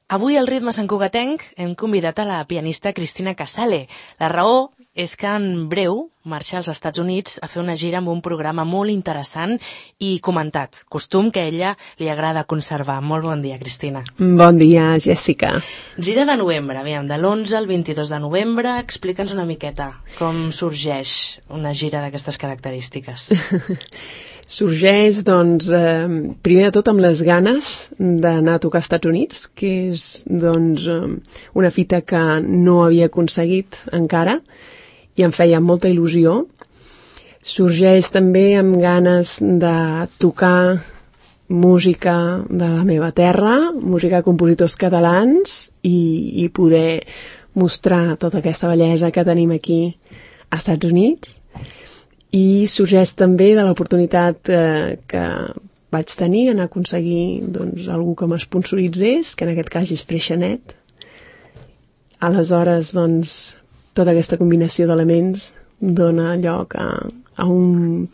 Avui al Ritme Sant Cugatenc hem convidat a la pianista Cristina Casale. La raó és que en breu marxa als Estats Units a fer una gira amb un programa molt interessant i comentat, costum que a ella li agrada conservar. Molt bon dia, Cristina. Bon dia, Jessica. Gira de novembre, aviam, de l'11 al 22 de novembre. Explica'ns una miqueta com sorgeix una gira d'aquestes característiques. Sorgeix, doncs, primer de tot amb les ganes d'anar a tocar als Estats Units, que és, doncs, una fita que no havia aconseguit encara i em feia molta il·lusió. Sorgeix també amb ganes de tocar música de la meva terra, música de compositors catalans i poder mostrar tota aquesta bellesa que tenim aquí als Estats Units. I sorgeix també de l'oportunitat que vaig tenir en aconseguir doncs, algú que m'esponsoritzés, que en aquest cas és Freixenet. Aleshores, doncs, tota aquesta combinació d'elements dona lloc a un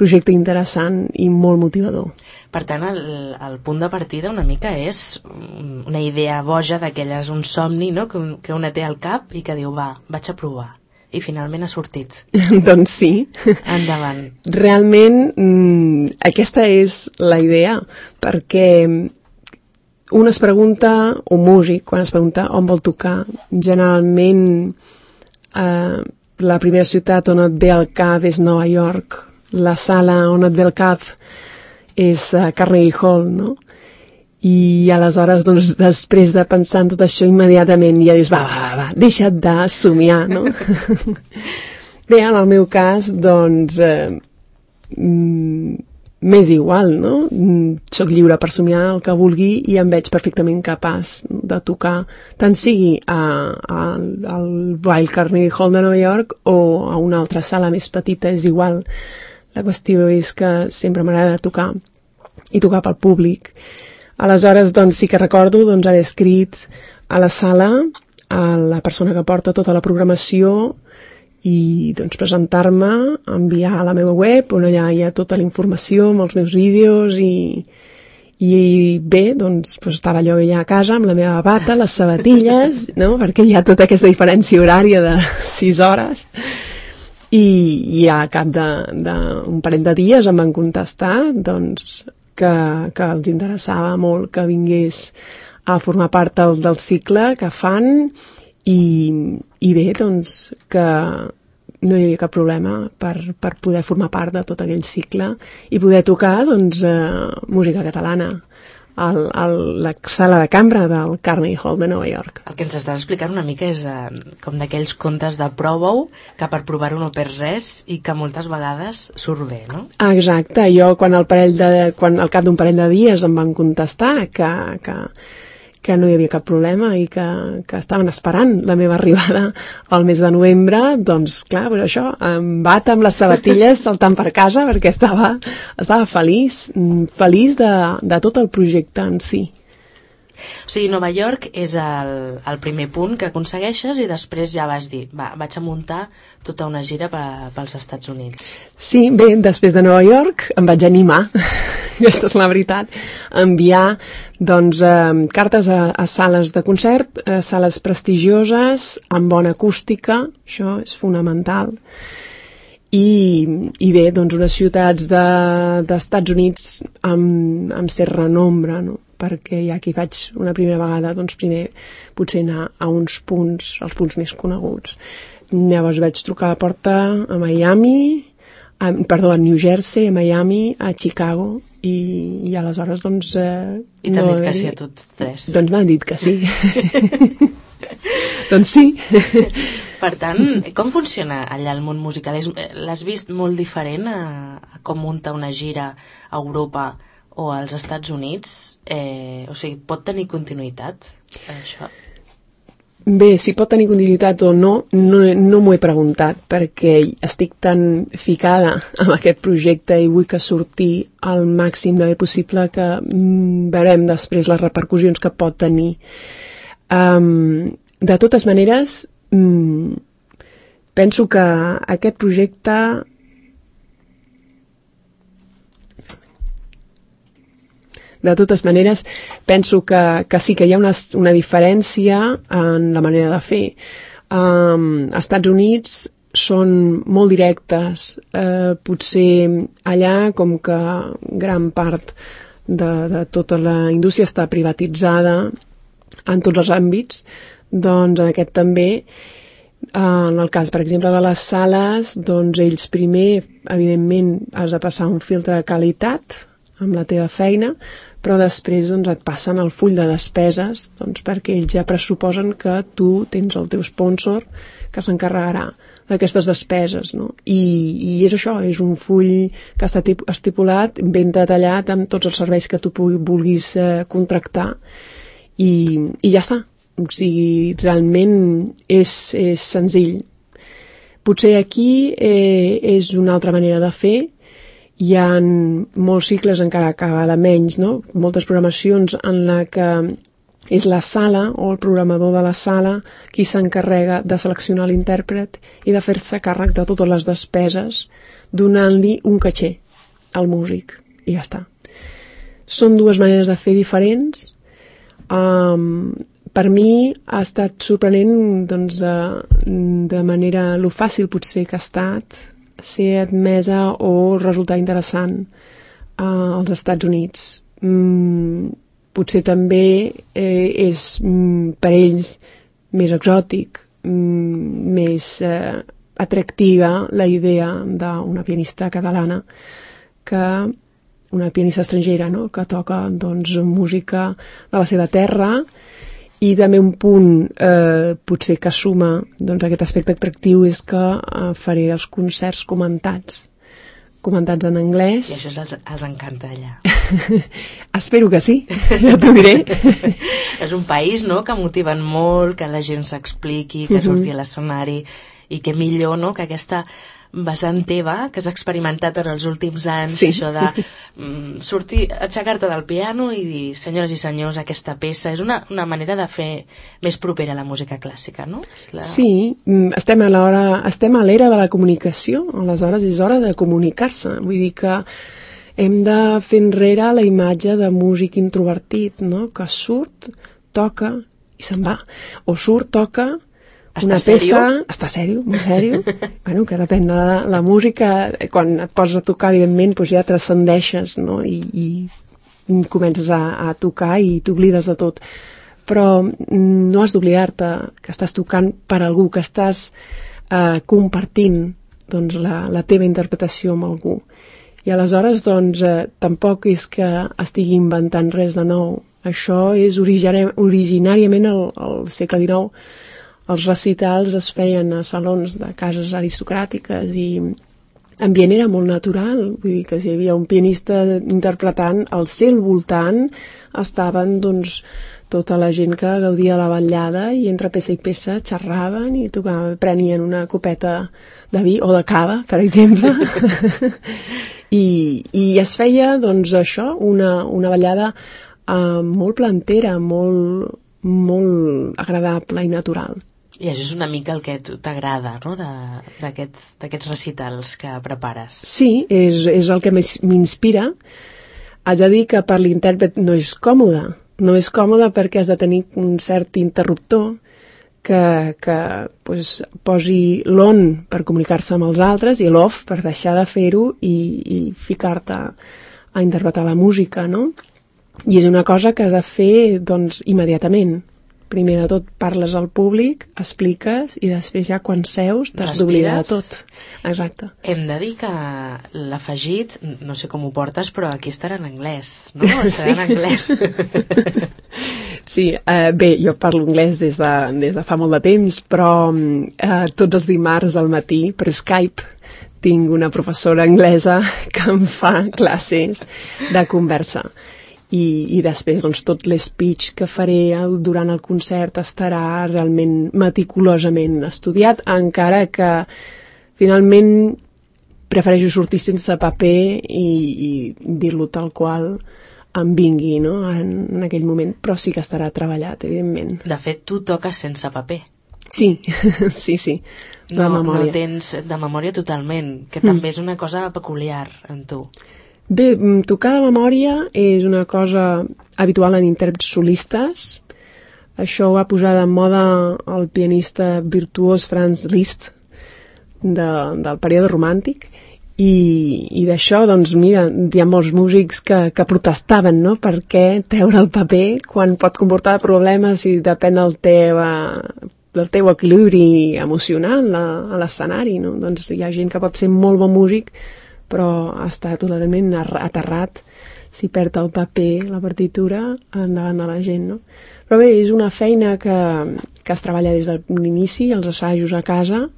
projecte interessant i molt motivador. Per tant, el punt de partida una mica és una idea boja d'aquelles, un somni, no? que una té al cap i que diu, va, vaig a provar. I finalment ha sortit. Doncs sí. Endavant. Realment, aquesta és la idea, perquè un es pregunta, un músic, quan es pregunta on vol tocar, generalment la primera ciutat on et ve al cap és Nova York, la sala on et ve al cap és Carnegie Hall, no? I aleshores, doncs, després de pensar en tot això immediatament ja dius, va, deixa't de somiar, no? Bé, en el meu cas, doncs, m'és igual, no? Soc lliure per somiar el que vulgui i em veig perfectament capaç de tocar, tant sigui al Wild Carnegie Hall de Nova York o a una altra sala més petita, és igual. La qüestió és que sempre m'agrada tocar i tocar pel públic. Aleshores, doncs, sí que recordo haver escrit a la sala a la persona que porta tota la programació i doncs, presentar-me, enviar a la meva web on allà hi ha tota la informació amb els meus vídeos i bé, doncs, estava allò ja a casa amb la meva bata, les sabatilles, no? Perquè hi ha tota aquesta diferència horària de 6 hores i a cap d'un parell de dies em van contestar, doncs, que els interessava molt que vingués a formar part del cicle que fan i bé, doncs, que no hi havia cap problema per poder formar part de tot aquell cicle i poder tocar, doncs, música catalana a la sala de cambra del Carnegie Hall de Nova York. El que ens estàs explicant una mica és com d'aquells contes de prova-ho, que per provar-ho no perds res i que moltes vegades surt bé, no? Exacte, jo quan al cap d'un parell de dies em van contestar que no hi havia cap problema i que estaven esperant la meva arribada al mes de novembre, doncs clar, però això, em bata amb les sabatilles saltant per casa perquè estava feliç de tot el projecte en si. O sigui, Nova York és el primer punt que aconsegueixes i després ja vas dir, va, vaig a muntar tota una gira pels Estats Units. Sí, bé, després de Nova York em vaig animar, aquesta és la veritat, a enviar doncs, cartes a sales de concert, a sales prestigioses, amb bona acústica, això és fonamental, i bé, doncs unes ciutats d'Estats Units amb cert renombre, no? Perquè ja que hi vaig una primera vegada, doncs primer potser anar a uns punts, els punts més coneguts. Llavors vaig trucar a la porta a Miami, a New Jersey, a Miami, a Chicago, i aleshores, doncs... I t'han dit que sí a tots tres. Doncs m'han dit que sí. Doncs sí. Per tant, com funciona allà el món musical? L'has vist molt diferent a com munta una gira a Europa o als Estats Units? O sigui, pot tenir continuïtat, això? Bé, si pot tenir continuïtat o no m'ho he preguntat, perquè estic tan ficada amb aquest projecte i vull que surti el màxim de bé possible que veurem després les repercussions que pot tenir. De totes maneres, penso que aquest projecte De totes maneres, penso que sí que hi ha una diferència en la manera de fer. Als Estats Units són molt directes. Potser allà, com que gran part de tota la indústria està privatitzada en tots els àmbits, doncs en aquest també, en el cas, per exemple, de les sales, doncs ells primer, evidentment, has de passar un filtre de qualitat amb la teva feina, però després doncs, et passen el full de despeses, doncs, perquè ells ja pressuposen que tu tens el teu sponsor que s'encarregarà d'aquestes despeses, no? I és això, és un full que està estipulat, ben detallat amb tots els serveis que tu vulguis contractar i ja està. O sigui, realment és senzill. Potser aquí és una altra manera de fer. Hi ha molts cicles encara cada menys, no? Moltes programacions en la que és la sala o el programador de la sala qui s'encarrega de seleccionar l'intèrpret i de fer-se càrrec de totes les despeses, donant-li un caché al músic. I ja està. Són dues maneres de fer diferents. Per mi ha estat sorprenent doncs, de manera lo fàcil potser que ha estat ser admesa o resultar interessant als Estats Units. Potser també és per ells més exòtic, més atractiva la idea d'una pianista catalana que una pianista estrangera, no? Que toca doncs, música de la seva terra i també un punt potser que suma doncs, aquest aspecte atractiu és que faré els concerts comentats en anglès. I això els encanta allà. Espero que sí, ja t'ho diré. És un país, no?, que motiven molt, que la gent s'expliqui, que surti a l'escenari, i que millor, no?, que aquesta vessant teva, que has experimentat en els últims anys, sí. Això de sortir, aixecar-te del piano i dir, senyores i senyors, aquesta peça és una manera de fer més propera a la música clàssica, no? Sí, estem a l'era de la comunicació, aleshores és hora de comunicar-se, vull dir que hem de fer enrere la imatge de músic introvertit, no? Que surt, toca i se'n va, o surt, toca una peça, està sèrio, molt sèrio. Bueno, que depèn de la música, quan et poses a tocar, evidentment, doncs ja transcendeixes, no? I comences a tocar i t'oblides de tot. Però no has d'oblidar-te que estàs tocant per algú, que estàs compartint doncs, la teva interpretació amb algú. I aleshores, doncs, tampoc és que estigui inventant res de nou. Això és originàriament al segle XIX. Els recitals es feien a salons de cases aristocràtiques i l'ambient era molt natural, vull dir que si hi havia un pianista interpretant, al seu voltant estaven doncs, tota la gent que gaudia la vetllada i entre peça i peça xerraven i prenien una copeta de vi o de cava, per exemple. I es feia doncs, això, una vetllada molt plantera, molt agradable i natural. I això és una mica el que t'agrada, no?, d'aquests recitals que prepares. Sí, és el que m'inspira. Haig de dir que per l'intèrpret no és còmode. No és còmode perquè has de tenir un cert interruptor que pues, posi l'on per comunicar-se amb els altres i l'off per deixar de fer-ho i ficar-te a interpretar la música, no? I és una cosa que has de fer doncs, immediatament. Primer de tot parles al públic, expliques i després ja quan seus t'has d'oblidar de tot. Exacte. Hem de dir que l'afegit, no sé com ho portes, però aquí estarà en anglès, no? Estarà en anglès. Sí, bé, jo parlo anglès des de fa molt de temps, però tots els dimarts al matí per Skype tinc una professora anglesa que em fa classes de conversa. I després doncs, tot l'espeech que faré durant el concert estarà realment meticulosament estudiat, encara que finalment prefereixo sortir sense paper i dir-lo tal qual em vingui, no? en aquell moment, però sí que estarà treballat, evidentment. De fet, tu toques sense paper. Sí, sí, de memòria. No tens de memòria totalment, que també és una cosa peculiar en tu. Bé, tocar de memòria és una cosa habitual en intèrprets solistes. Això ho va posar de moda el pianista virtuós Franz Liszt del període romàntic. I d'això, doncs, mira, hi ha molts músics que protestaven, no?, per què treure el paper quan pot comportar problemes i depèn del teu equilibri emocional a l'escenari, no? Doncs hi ha gent que pot ser molt bon músic, però està totalment aterrat si perd el paper, la partitura, endavant de la gent, no? Però bé, és una feina que es treballa des de l'inici, els assajos a casa,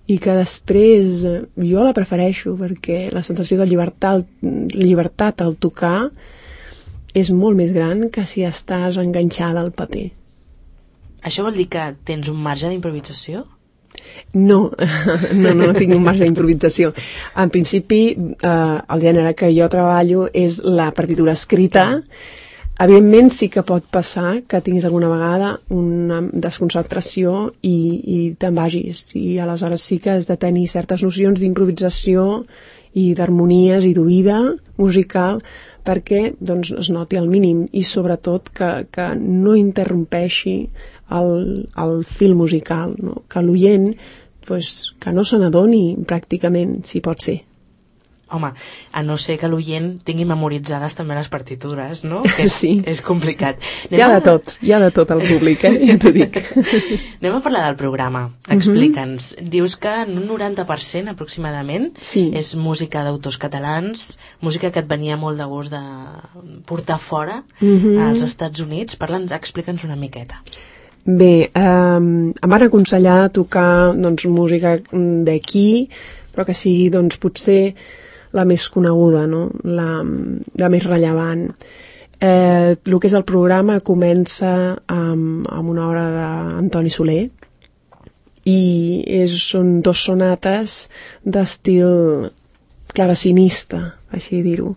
i que després jo la prefereixo perquè la sensació de llibertat al tocar és molt més gran que si estàs enganxada al paper. Això vol dir que tens un marge d'improvisació? No tinc un marge d'improvisació. En principi, el gènere que jo treballo és la partitura escrita. Evidentment sí que pot passar que tinguis alguna vegada una desconcentració i te'n vagis, i aleshores sí que has de tenir certes nocions d'improvisació i d'harmonies i d'oïda musical perquè doncs, es noti al mínim i sobretot que no interrompeixi el fil musical, no? Que l'oient pues, que no se n'adoni pràcticament, si pot ser. Home, a no ser que l'oient tingui memoritzades també les partitures, no? Que sí. És complicat. Hi ha de tot al públic, ja t'ho dic. Anem a parlar del programa. Explica'ns. Dius que en un 90% aproximadament és música d'autors catalans, música que et venia molt de gust de portar fora als Estats Units. Explica'ns una miqueta. Bé, em van aconsellar tocar doncs, música d'aquí, però que sigui doncs, potser la més coneguda, no? La més rellevant. El que és el programa comença amb una obra d'Antoni Soler i són 2 sonates d'estil clavecinista, així dir-ho.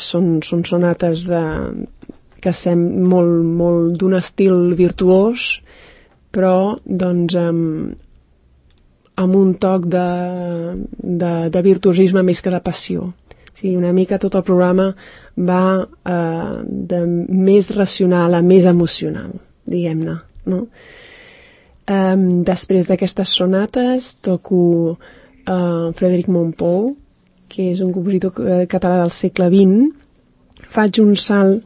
Són sonates que semblen molt d'un estil virtuós, però doncs amb un toc de virtuosisme més que de passió. O sigui, una mica tot el programa va de més racional a més emocional, diguem-ne, no? Després d'aquestes sonates toco Frédéric Mompou, que és un compositor català del segle XX. Faig un salt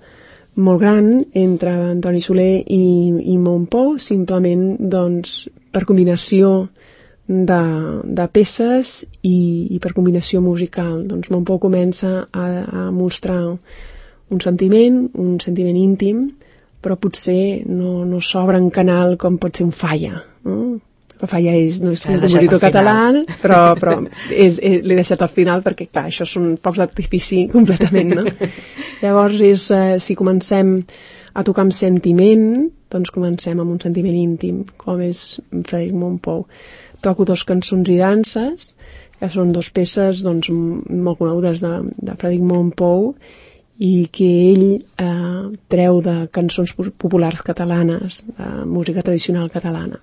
molt gran entre Antoni Soler i Mompou, simplement doncs, per combinació de peces i per combinació musical. Doncs Mompou comença a mostrar un sentiment íntim, però potser no s'obre en canal com pot ser un Falla, no? El Falla no és un compositor català, però l'he deixat al final perquè, clar, això són focs d'artifici completament, no? Llavors, si comencem a tocar amb sentiment, doncs comencem amb un sentiment íntim, com és Frédéric Mompou. Toco 2 cançons i danses, que són 2 peces doncs, molt conegudes de Frédéric Mompou i que ell treu de cançons populars catalanes, de música tradicional catalana.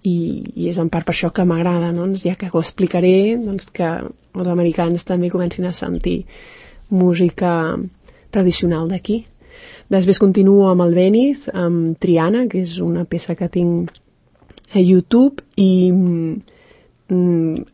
I és en part per això que m'agrada, doncs, ja que ho explicaré, doncs, que els americans també comencin a sentir música tradicional d'aquí. Després continuo amb el Béniz, amb Triana, que és una peça que tinc a YouTube, i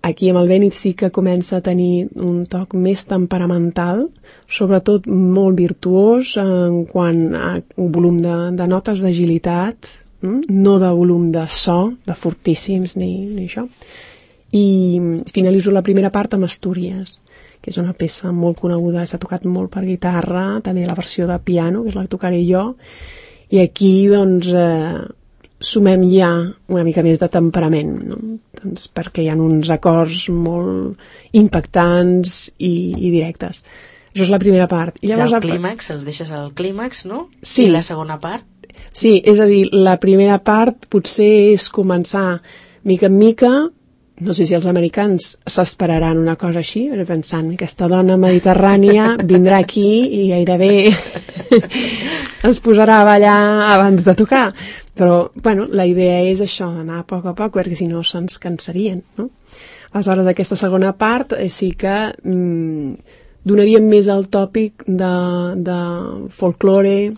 aquí amb el Béniz sí que comença a tenir un toc més temperamental, sobretot molt virtuós en quant a un volum de notes, d'agilitat, no de volum de so, de fortíssims ni això. I finalitzo la primera part amb Astúries, que és una peça molt coneguda, s'ha tocat molt per guitarra, també la versió de piano, que és la que tocaré jo, i aquí doncs sumem ja una mica més de temperament, no? Doncs perquè hi ha uns acords molt impactants i directes. Això és la primera part. I llavors, el clímax, els deixes al clímax, no? Sí. I la segona part? Sí, és a dir, la primera part potser és començar mica en mica. No sé si els americans s'esperaran una cosa així, pensant, aquesta dona mediterrània vindrà aquí i gairebé es posarà a ballar abans de tocar. Però, bueno, la idea és això, d'anar a poc, perquè si no se'ns cansarien, no? Aleshores, aquesta segona part sí que donaríem més al tòpic de folklore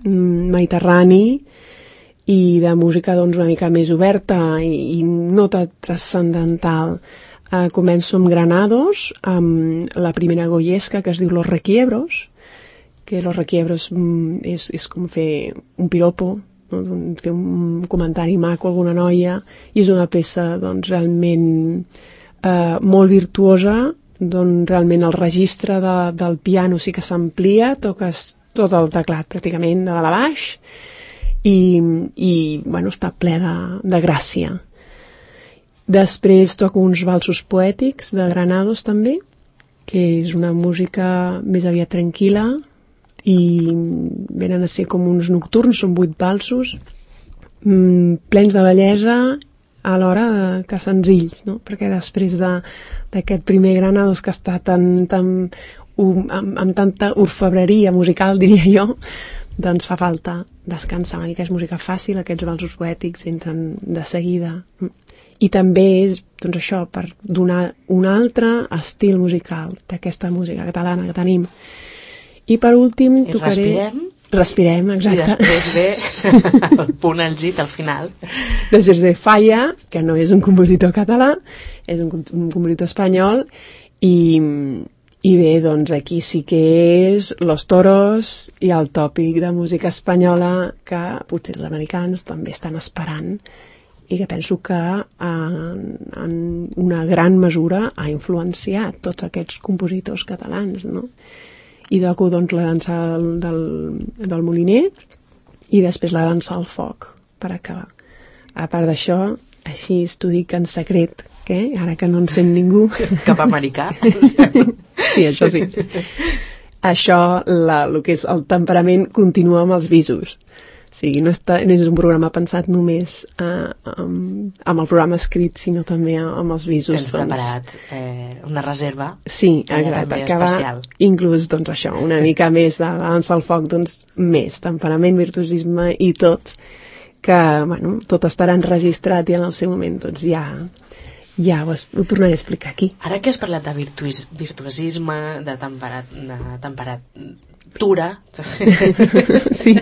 mediterrani i de música doncs, una mica més oberta i no tan transcendental. Començo amb Granados, amb la primera goyesca que es diu Los Requiebros, que Los Requiebros és com fer un piropo, no? Fer un comentari maco a alguna noia, i és una peça doncs, realment molt virtuosa, doncs realment el registre del piano sí que s'amplia, toques tot el teclat pràcticament de dalt a baix i bueno, està ple de gràcia. Després toco uns valsos poètics de Granados també, que és una música més aviat tranquil·la i venen a ser com uns nocturns, són 8 valsos plens de bellesa alhora que senzills, no? Perquè després d'aquest primer Granados que està amb tanta orfebreria musical, diria jo, doncs fa falta descansar una mica. És música fàcil, aquests valsos poètics entren de seguida. I també és, doncs això, per donar un altre estil musical d'aquesta música catalana que tenim. I per últim tocaré... Respirem, exacte. I després ve el punt àlgid al final. Després ve Falla, que no és un compositor català, és un compositor espanyol, i bé, doncs aquí sí que és Los Toros i el tòpic de música espanyola que potser els americans també estan esperant i que penso que en una gran mesura ha influenciat tots aquests compositors catalans, no? I toco doncs la dansa del Moliner i després la dansa al foc per acabar. A part d'això, així t'ho dic en secret, que ara que no en sent ningú... Cap americà. Sí, això sí. Això, el que és el temperament, continua amb els visos. O sigui, no és un programa pensat només amb el programa escrit, sinó també amb els visos. Tens preparat una reserva. Sí, exacte, que va inclús doncs, això, una mica més de dansa al foc, doncs més temperament, virtuosisme i tot, que bueno, tot estarà enregistrat i en el seu moment doncs ja ho tornaré a explicar aquí. Ara que has parlat de virtuosisme, de temperatura... Sí.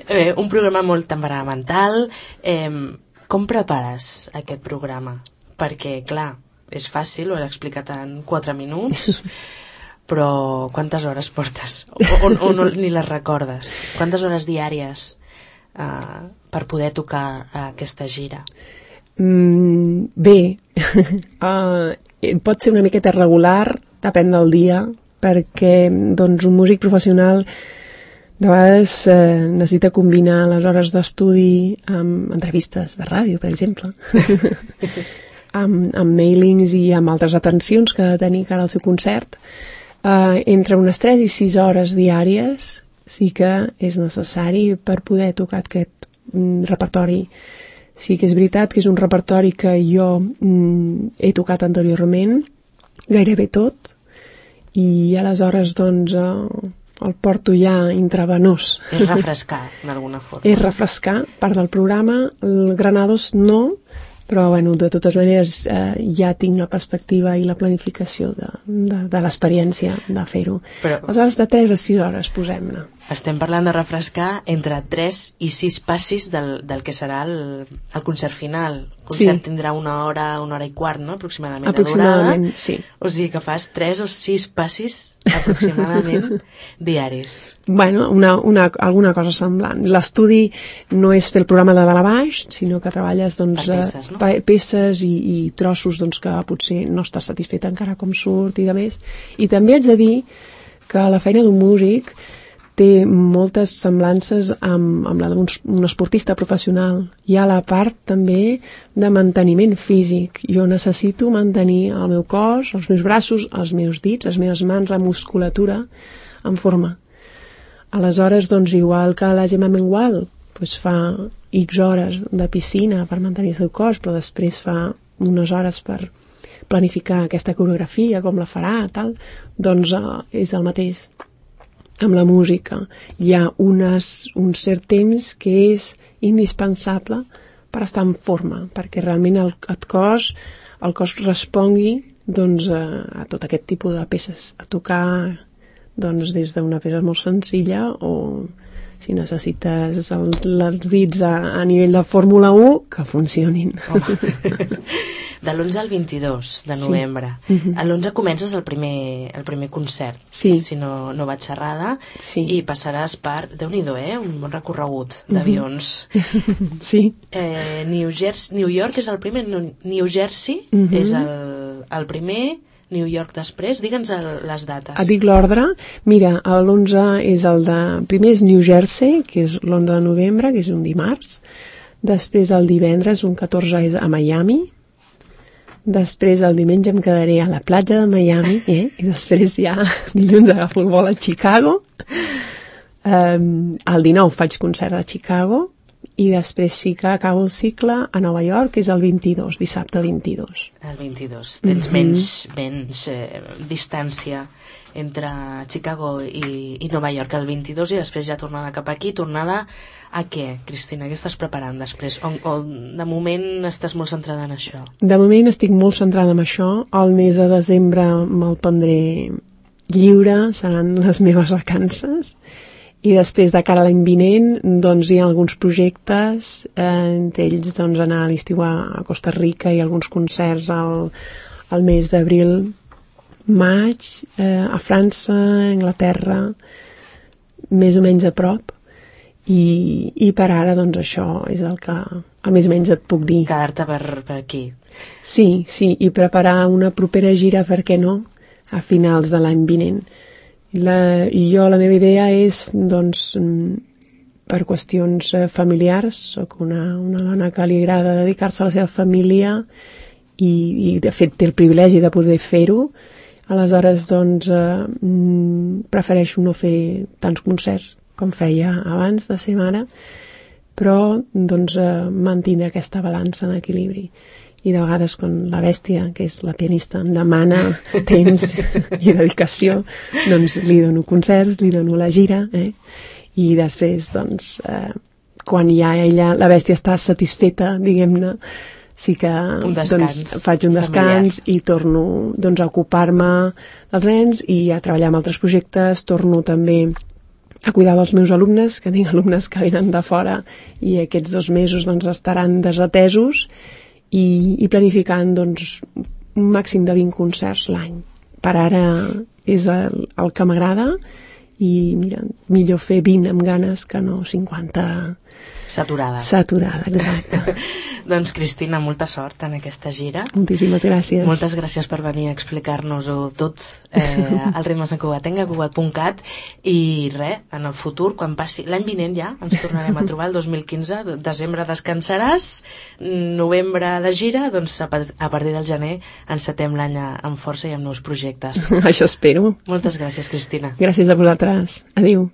Un programa molt temperamental. Com prepares aquest programa? Perquè, clar, és fàcil, ho he explicat en 4 minuts, però quantes hores portes? O ni les recordes? Quantes hores diàries per poder tocar aquesta gira? Bé, pot ser una miqueta regular, depèn del dia, perquè doncs, un músic professional de vegades necessita combinar les hores d'estudi amb entrevistes de ràdio, per exemple, amb mailings i amb altres atencions que ha de tenir cara al seu concert. Entre unes 3 i 6 hores diàries sí que és necessari per poder tocar aquest repertori. Sí que és veritat que és un repertori que jo he tocat anteriorment, gairebé tot, i aleshores doncs el porto ja intravenós. És refrescar, d'alguna forma. És refrescar, part del programa. El Granados no, però bueno, de totes maneres ja tinc la perspectiva i la planificació de l'experiència de fer-ho. Aleshores, de 3 a 6 hores, posem-ne. Estem parlant de refrescar entre 3 i 6 passis del que serà el concert final. El concert tindrà 1 hora, 1 hora i quart, no? Aproximadament de durada. Sí. O sigui que fas 3 o 6 passis aproximadament diaris. Bueno, alguna cosa semblant. L'estudi no és fer el programa de dalt a baix, sinó que treballes doncs, peces, no? Peces i trossos doncs, que potser no estàs satisfet encara com surt i de més. I també haig de dir que la feina d'un músic té moltes semblances amb la d'un esportista professional. Hi ha la part també de manteniment físic. Jo necessito mantenir el meu cos, els meus braços, els meus dits, les meves mans, la musculatura en forma. Aleshores, doncs, igual que la Gemma Mengual doncs fa X hores de piscina per mantenir el seu cos, però després fa unes hores per planificar aquesta coreografia, com la farà, tal, doncs és el mateix. Amb la música hi ha un cert temps que és indispensable per estar en forma, perquè realment el cos respongui doncs, a tot aquest tipus de peces, a tocar doncs, des d'una peça molt senzilla o si necessites els dits a nivell de Fórmula 1, que funcionin. De l'11 al 22 de novembre. Sí. A l'11 comences el primer concert, sí. Si no vaig errada, sí. I passaràs per, Déu-n'hi-do, un bon recorregut d'avions. Sí. New York és el primer, New Jersey és el primer, New York després, digue'ns les dates. Et dic l'ordre. Mira, l'11 és primer és New Jersey, que és l'11 de novembre, que és un dimarts. Després el divendres, un 14, és a Miami. Després el diumenge em quedaré a la platja de Miami, i després ja dilluns agafo el vol a Chicago. El 19 faig concert a Chicago i després sí que acabo el cicle a Nova York, que és el 22, dissabte 22. El 22. Tens menys distància entre Chicago i Nova York el 22 i després ja tornada cap aquí. Tornada a què, Cristina? Què estàs preparant després? O de moment estàs molt centrada en això? De moment estic molt centrada en això. El mes de desembre me'l prendré lliure, seran les meves vacances. I després, de cara a l'any vinent, doncs hi ha alguns projectes, entre ells doncs, anar a l'estiu a Costa Rica i alguns concerts al mes d'abril, maig, a França, Anglaterra, més o menys a prop. I per ara, doncs, això és el que més o menys et puc dir. Quedar-te per aquí. Sí, i preparar una propera gira, per què no?, a finals de l'any vinent. La meva idea és, doncs, per qüestions familiars, soc una dona que li agrada dedicar-se a la seva família i de fet té el privilegi de poder fer-ho, aleshores doncs prefereixo no fer tants concerts com feia abans de ser mare, però doncs mantenir aquesta balança en equilibri. I de vegades quan la bèstia, que és la pianista, em demana temps i dedicació, doncs li dono concerts, li dono la gira, i després, doncs, quan ja la bèstia està satisfeta, diguem-ne, sí que doncs, faig un descans i torno doncs, a ocupar-me dels nens i a treballar en altres projectes, torno també a cuidar dels meus alumnes, que tinc alumnes que venen de fora i aquests 2 mesos doncs, estaran desatesos, i planificant doncs, un màxim de 20 concerts l'any. Per ara és el que m'agrada i mira, millor fer 20 amb ganes que no 50 saturada, exacte. Doncs Cristina, molta sort en aquesta gira. Moltíssimes gràcies. Moltes gràcies per venir a explicar-nos-ho tot al Ritmes en Cugatenc, a cugat.cat, i res, en el futur, quan passi l'any vinent ja, ens tornarem a trobar el 2015, desembre descansaràs, novembre de gira, doncs a partir del gener encetem l'any amb força i amb nous projectes. Això espero. Moltes gràcies, Cristina. Gràcies a vosaltres. Adéu.